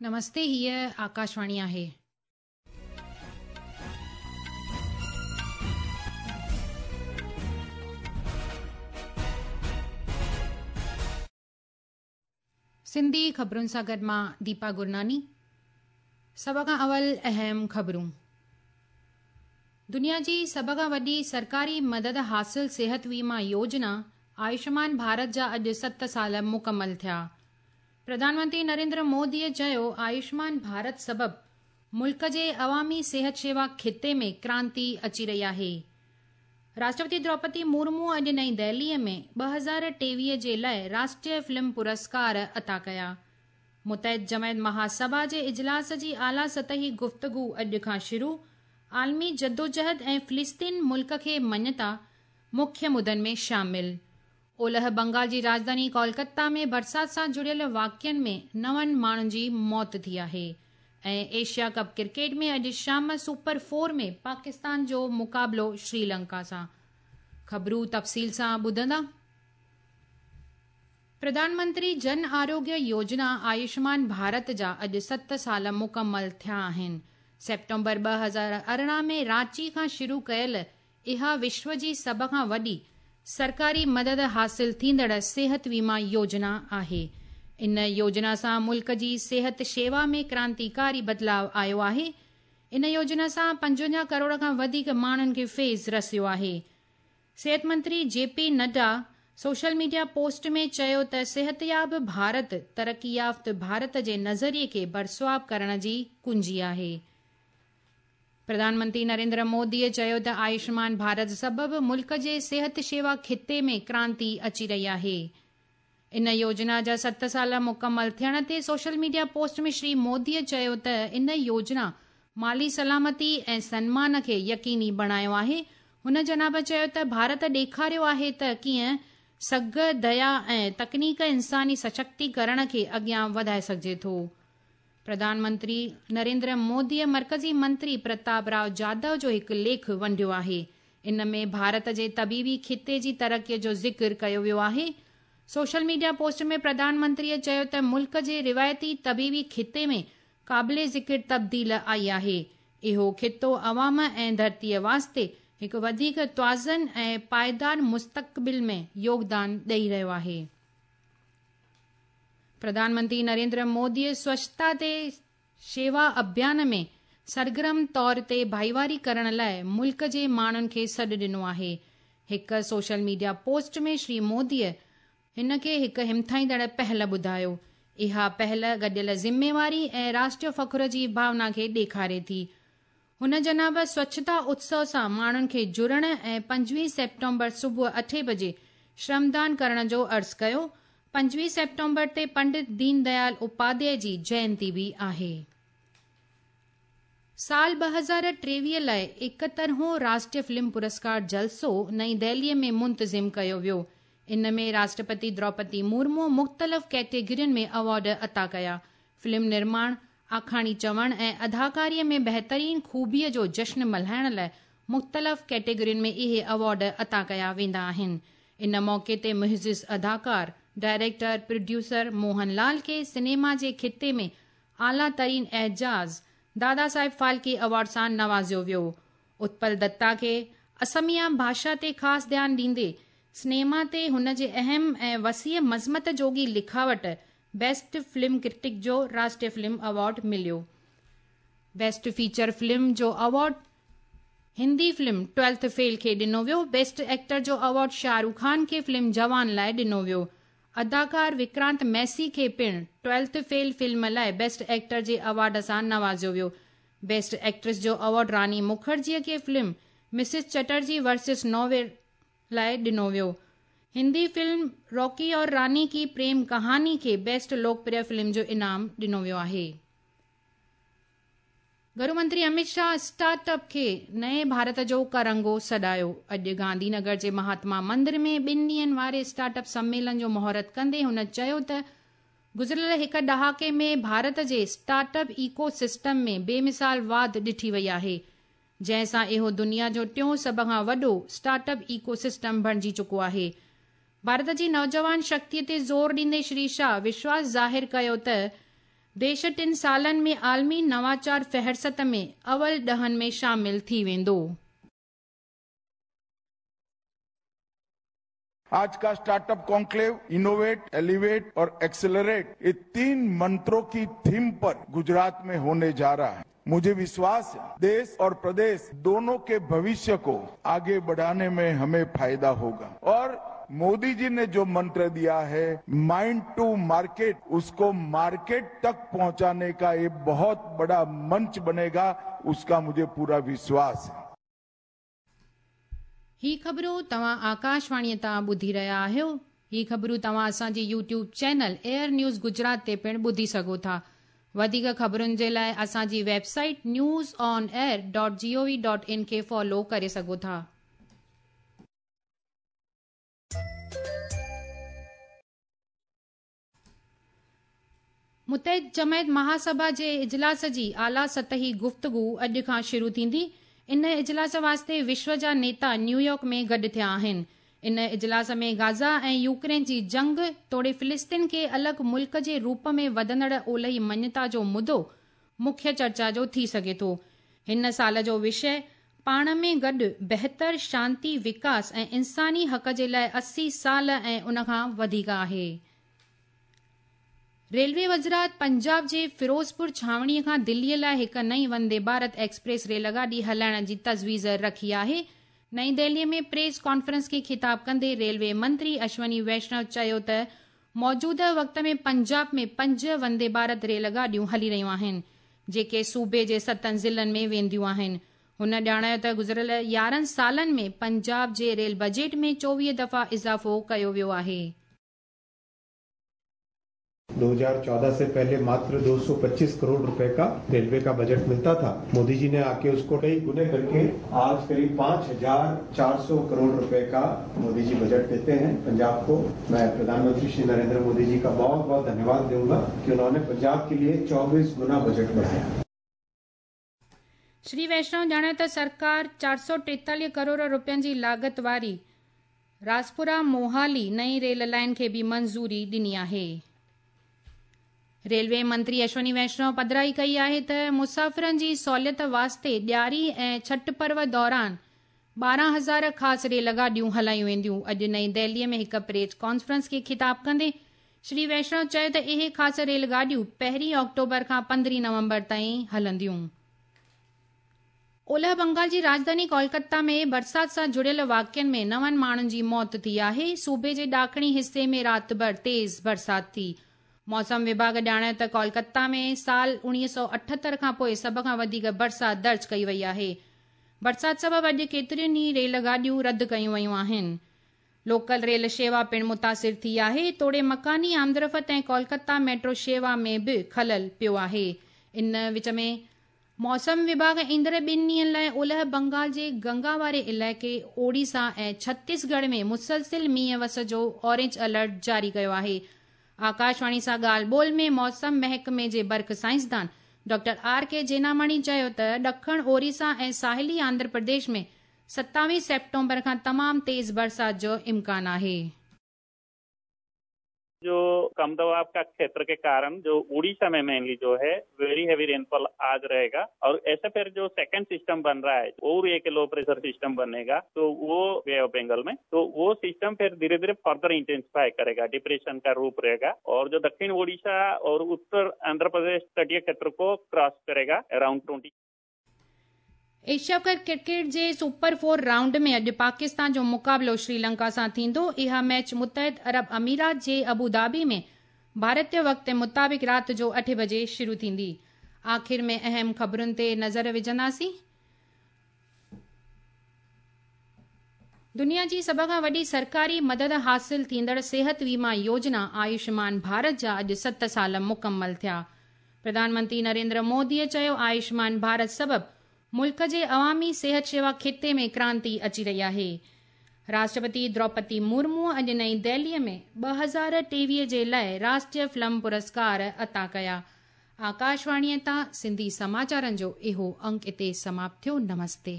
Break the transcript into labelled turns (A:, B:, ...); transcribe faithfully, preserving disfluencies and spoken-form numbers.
A: نمستي، هيء آڪاشواڻي آهي. سنڌي خبرن سان گڏ مان ديپا گرناني. سڀ کان اول اهم خبرون. دنيا جي سڀ کان وڏي سرڪاري مدد حاصل صحت ويما يوجنا آيوشمان ڀارت جا اڄ ست سال مڪمل ٿيا. پرڌان منتري نريندر موديء چيو، آيوشمان ڀارت سبب ملڪ جي عوامي صحت شيوا خطي ۾ ڪرانتي اچي رهي آهي. راشٽرپتي دروپدي مرمو اڄ نئين دهليء ۾ ٻه هزار ٽيويهه جي لاءِ راشٽريه فلم پرسڪار عطا ڪيا. متحد جماعت مهاسڀا جي اجلاس جي اعليٰ سطحي گفتگو اڄ کان شروع. عالمي جدوجهد ۽ فلسطين ملڪ کي مڃتا مکيه مدن ۾ شامل. اولهه بنگال جي راڄڌاني ڪولڪتا ۾ برسات سان جڙيل واقعن ۾ نون ماڻهن جي موت ٿي آهي. ۽ ايشيا ڪپ ڪرڪيٽ ۾ اڄ شام سپر فور ۾ پاڪستان جو مقابلو شري لنڪا سان. خبرون تفصيل سان ٻڌندا. پرڌان منتري جن آروگيه يوجنا آيوشمان ڀارت جا اڄ ست سال مڪمل ٿيا آهن. سيپٽمبر ٻه هزار ارڙهن ۾ رانچي کان شروع ڪيل اها وشو جي سڀ کان وڏي سرڪاري مدد حاصل ٿيندڙ صحت ويما يوجنا آهي. ان يوجنا سان ملڪ جي صحت شيوا ۾ ڪرانتيڪاري بدلاءُ آيو آهي. ان يوجنا سان پنجونجاهه ڪروڙ کان وڌيڪ ماڻهن کي فيض رسيو آهي. صحت منتري جي پي نڊا سوشل ميڊيا پوسٽ ۾ چيو ته صحتياب ڀارت ترقي يافته ڀارت جي نظريي کي برسواب ڪرڻ جي ڪنجي آهي. پرڌان منتري نريندر موديء چيو ته آيوشمان ڀارت سبب ملڪ جي صحت شيوا خطي ۾ ڪرانتي اچي رهي آهي. ان يوجنا جا ست سال مڪمل ٿيڻ تي سوشل ميڊيا پوسٽ ۾ شري موديء چيو ته ان يوجنا مالي سلامتي ۽ سنمان کي يقيني بڻايو آهي. هن جناب چيو ته ڀارت ڏيکاريو آهي ته ڪيئن سگهه، ديا ۽ تڪنيڪ انساني سشڪتيڪرڻ کي اڳيان وڌائي سگهجي ٿو. پرڌان منتري نريندر موديء مرڪزي منتري پرتاپ راؤ جادو جو هڪ ليک ونڊيو آهي. ان ۾ ڀارت جي طبيبي خطي جي ترقيءَ جو ذڪر ڪيو ويو آهي. سوشل ميڊيا پوسٽ ۾ پرڌان منتريءَ چيو ته ملڪ جي روايتي طبيبي خطي ۾ قابل ذڪر تبديل آئي آهي. اهو خطو عوام ۽ ڌرتيءَ واسطي هڪ وڌيڪ توازن ۽ پائيدار مستقبل ۾ يوگدان ڏئي رهيو آهي. پرڌان منتري نريندر موديء سوڇتا تي شيوا اڀيان ۾ سرگرم طور تي ڀائيواري ڪرڻ لاءِ ملڪ جي ماڻهن کي سڏ ڏنو آهي. هڪ سوشل ميڊيا پوسٽ ۾ شري موديء هن کي هڪ همٿائيندڙ پهل ٻڌايو. اها پهل گڏيل ذميواري ۽ راشٽريه فخر جي ڀاونا کي ڏيکاري ٿي. هن جناب سوڇتا اتسو سان ماڻهن کي جڙڻ ۽ پنجويهه سيپٽمبر صبح اٺين بجي شرمدان ڪرڻ جو عرض ڪيو. پنجويهه سيپٽمبر تي پنڊت دين ديال اپاڌياء جي جينتي به آهي. سال ٻه هزار ٽيويهه لاءِ ايڪهترهون راشٽريه فلم پرسڪار جلسو نئين دهليءَ ۾ منتظم ڪيو ويو. ان ۾ راشٽرپتي دروپدي مرمو مختلف ڪيٽيگرين ۾ ايوارڊ عطا ڪيا. فلم نرماڻ، آکاڻي چوڻ ۽ اداڪاريءَ ۾ بهترين خوبيءَ جو جشن ملهائڻ لاءِ مختلف ڪيٽيگرين ۾ اهي ايوارڊ عطا ڪيا ويندا آهن. ان موقعي تي معزز اداڪار، ڊائريڪٽر، پروڊيوسر موهن لال کي سئنيما جي خطي ۾ اعليٰ ترين اعزاز دادا صاحب ڦالڪي ايوارڊ سان نوازيو ويو. اتپل دتا کي اسميا ڀاشا تي خاص ڌيان ڏيندي سئنيما تي هن جي اهم ۽ وسيع مذمت جوڳي لکاوٽ بيسٽ فلم ڪرٽڪ جو راشٽريه فلم ايوارڊ مليو. بيسٽ فيچر فلم جو award Hindi film twelfth fail کي ڏنو ويو. بيسٽ ايڪٽر جو ايوارڊ شاهه رخ خان کي فلم جوان لاءِ ڏنو ويو. اداڪار وڪرانت ميسي کي پڻ ٽويلٿ فيل فلم لاءِ بيسٽ ايڪٽر جي ايوارڊ سان نوازيو ويو. بيسٽ ايڪٽريس جو ايوارڊ راني مکرجيءَ کي فلم مسز چٽرجي ورسز نووير لاءِ ڏنو ويو. هندي فلم راڪي اور راني ڪي پريم ڪهاني کي بيسٽ لوڪپريه فلم جو انعام ڏنو ويو آهي. گهرو منتري امت شاهه اسٽارٽ اپ کي نئين ڀارت جو ڪرنگهو سڏايو. اڄ گانڌي نگر جي مهاتما مندر ۾ ٻن ڏينهن واري اسٽارٽ اپ سميلن جو مهورت ڪندي هن چيو ته گذريل هڪ ڏهاڪي ۾ ڀارت جي اسٽارٽ اپ ايڪو سسٽم ۾ بيمثال واڌ ڏٺي وئي آهي، جنهن سان اهو دنيا جو ٽيون سڀ کان وڏو اسٽارٽ اپ ايڪو سسٽم بڻجي چڪو آهي. ڀارت جي نوجوان شڪتيءَ تي زور ڏيندي شري شاهه وشواس ظاهر ڪيو ته देश टिनि सालनि में आलमी नवाचार फ़हरिस्त में अवल ॾहनि में शामिल थी वेंदो।
B: आज का स्टार्टअप कॉन्क्लेव इनोवेट, एलिवेट और एक्सेलरेट, ये तीन मंत्रों की थीम पर गुजरात में होने जा रहा है। मुझे विश्वास है देश और प्रदेश दोनों के भविष्य को आगे बढ़ाने में हमें फायदा होगा। और मोदी जी ने जो मंत्र दिया है माइंड टू मार्केट, उसको मार्केट तक पहुंचाने का ये बहुत बड़ा मंच बनेगा, उसका मुझे पूरा विश्वास है।
A: ही ख़बरूं तव्हां आकाशवाणीअ तां ॿुधी रहिया आहियो। ही ख़बरूं तव्हां असांजे YouTube channel air news Gujarat ते पिणु ॿुधी सघो था। वधीक ख़बरुनि जे लाइ असांजी website news on air dot G O V dot in खे फॉलो करे सघो था। मुतहिद जमायत महासभा जे इजलास जी आला सतही गुफ़्तगू अॼु खां शुरू थींदी। इन इजलास वास्ते विश्व जा नेता न्यूयॉर्क में गॾु थिया आहिनि। इन इजलास में गाज़ा ऐं यूक्रेन जी जंग तोड़े फ़िलिस्तीन खे अलॻि मुल्क जे रूप में वधंदड़ ओलही मञता जो मुद्दो मुख्य चर्चा जो थी सघे थो। हिन साल जो विषय पाण में गॾु बहितर शांति, विकास ऐं इंसानी हक़ जे लाइ अस्सी साल ऐं उन खां वधीक आहे। रेलवे वज़ारत पंजाब जे फिरोज़पुर छावणीअ खां दिल्लीअ लाइ हिकु नई वंदे भारत एक्सप्रेस रेलगाॾी हलाइण जी तजवीज़ रखी आहे। नई दिल्लीअ में प्रेस कॉन्फ्रेंस खे ख़िताब कंदे रेलवे मंत्री अश्वनी वैष्णव चयो त मौजूदा वक़्त में पंजाब में पंज वंदे भारत रेलगाॾियूं हली रहियूं आहिनि, जेके सूबे जे सतनि ज़िलनि में वेंदियूं आहिनि। हुन ॼाणायो त गुज़िरियल यारहं सालनि में पंजाब जे रेल बजट में चोवीह दफ़ा इज़ाफ़ो कयो वियो आहे।
C: दो हज़ार चौदह से पहले मात्र दो सौ पच्चीस करोड़ रुपए का रेलवे का बजट मिलता था। मोदी जी ने आके उसको कई गुने करके आज करीब पांच हजार चार सौ करोड़ रुपए का मोदी जी बजट देते हैं पंजाब को। मैं प्रधानमंत्री श्री नरेंद्र मोदी जी का बहुत बहुत धन्यवाद दूंगा कि उन्होंने पंजाब के लिए चौबीस गुना बजट बढ़ाया।
A: श्री वैष्णव ॼाणायो त सरकार चार सौ टेतालीह करोड़ रुपयनि जी लागत वारी राजपुरा मोहाली नई रेल लाइन खे बि मंज़ूरी ॾिनी आहे। रेलवे मंत्री अश्वनी वैष्णव पधराई कई आहे त मुसाफ़िरनि जी सहूलियत वास्ते ॾियारी ऐं छठ पर्व दौरान ॿारहं हज़ार ख़ासि रेलगाॾियूं हलायूं वेंदियूं। अॼु नई दिल्लीअ में हिकु प्रेस कॉन्फ्रेंस खे ख़िताब कंदे श्री वैष्णव चयो त इहे ख़ासि रेलगाॾियूं पहिरीं अक्टूबर खां पंद्रहीं नवंबर ताईं हलंदियूं। ओलह बंगाल जी राजधानी कोलकाता में बरसाति सां जुड़ियल वाक़िअनि में नवनि माण्हुनि जी मौत थी आहे। सूबे जे ॾाखिणी हिसे में राति भरि तेज़ बरसाति थी। मौसम विभाग ॼाणायो त कोलकाता में साल उणिवीह सौ अठहतरि खां पोइ सभ खां वधीक बरसाति दर्ज कई वई आहे। बरसाति सबबु अॼु केतिरियुनि ई रेलगाॾियूं रद्द कयूं वयूं आहिनि। लोकल रेल शेवा पिणु मुतासिर थी आहे, तोड़े मकानी आमदरफ़्त ऐं कोलकाता मेट्रो शेवा में बि ख़लल पियो आहे। इन विच में मौसम विभाग ईंदड़ ॿिनि ॾींहंनि लाइ ओलह बंगाल जे गंगा वारे इलाइक़े ओडिशा ऐं छत्तीसगढ़ में मुसलसिल मींहुं वस जो ऑरेंज अलर्ट जारी कयो आहे। आकाशवाणी सां ॻाल्हि ॿोल में मौसम महकमे जे बर्फ़ साइंसदान डॉक्टर आर के जेनामणी चयो त ॾखण ओडिशा ऐं साहिली आंध्र प्रदेश में सत्तावीह सेप्टेम्बर खां तमामु तेज़ बरसाति जो इम्कान आहे।
D: जो कम दबाव का क्षेत्र के कारण जो उड़ीसा में मेनली जो है वेरी हैवी रेनफॉल आज रहेगा और ऐसे फिर जो सेकंड सिस्टम बन रहा है और एक लो प्रेशर सिस्टम बनेगा तो वो बे ऑफ बंगाल में, तो वो सिस्टम फिर धीरे धीरे फर्दर इंटेंसिफाई करेगा, डिप्रेशन का रूप रहेगा और जो दक्षिण उड़ीसा और उत्तर आंध्र प्रदेश तटीय क्षेत्र को क्रॉस करेगा around twenty.
A: Asia cup cricket जे सुपर फोर राउंड में अॼु पाकिस्तान जो मुक़ाबिलो श्रीलंका सां थींदो। इहा मैच मुतहिद अरब अमीरात जे अबू धाबी में भारतीय वक़्त मुताबिक़ राति जो अठे बजे शुरू थींदी। आख़िर में अहम ख़बरुनि ते नज़र विझंदासीं। दुनिया जी सभ खां वॾी सरकारी मदद हासिल थींदड़ सेहत वीमा योजना आयुष्मान भारत जा अॼु सत साल मुकमल थिया। प्रधानमंत्री नरेंद्र मोदीअ चयो आयुष्मान भारत सबबु मुल्क जे अवामी सेहत शेवा ख़िते में क्रांति अची रही आहे। राष्ट्रपति द्रौपदी मुर्मू अॼु नई दिल्लीअ में ॿ हज़ार टेवीह जे लाइ राष्ट्रीय फिल्म पुरस्कार अता कया। आकाशवाणीअ तां सिंधी समाचारनि जो इहो अंक हिते समाप्त थियो। नमस्ते।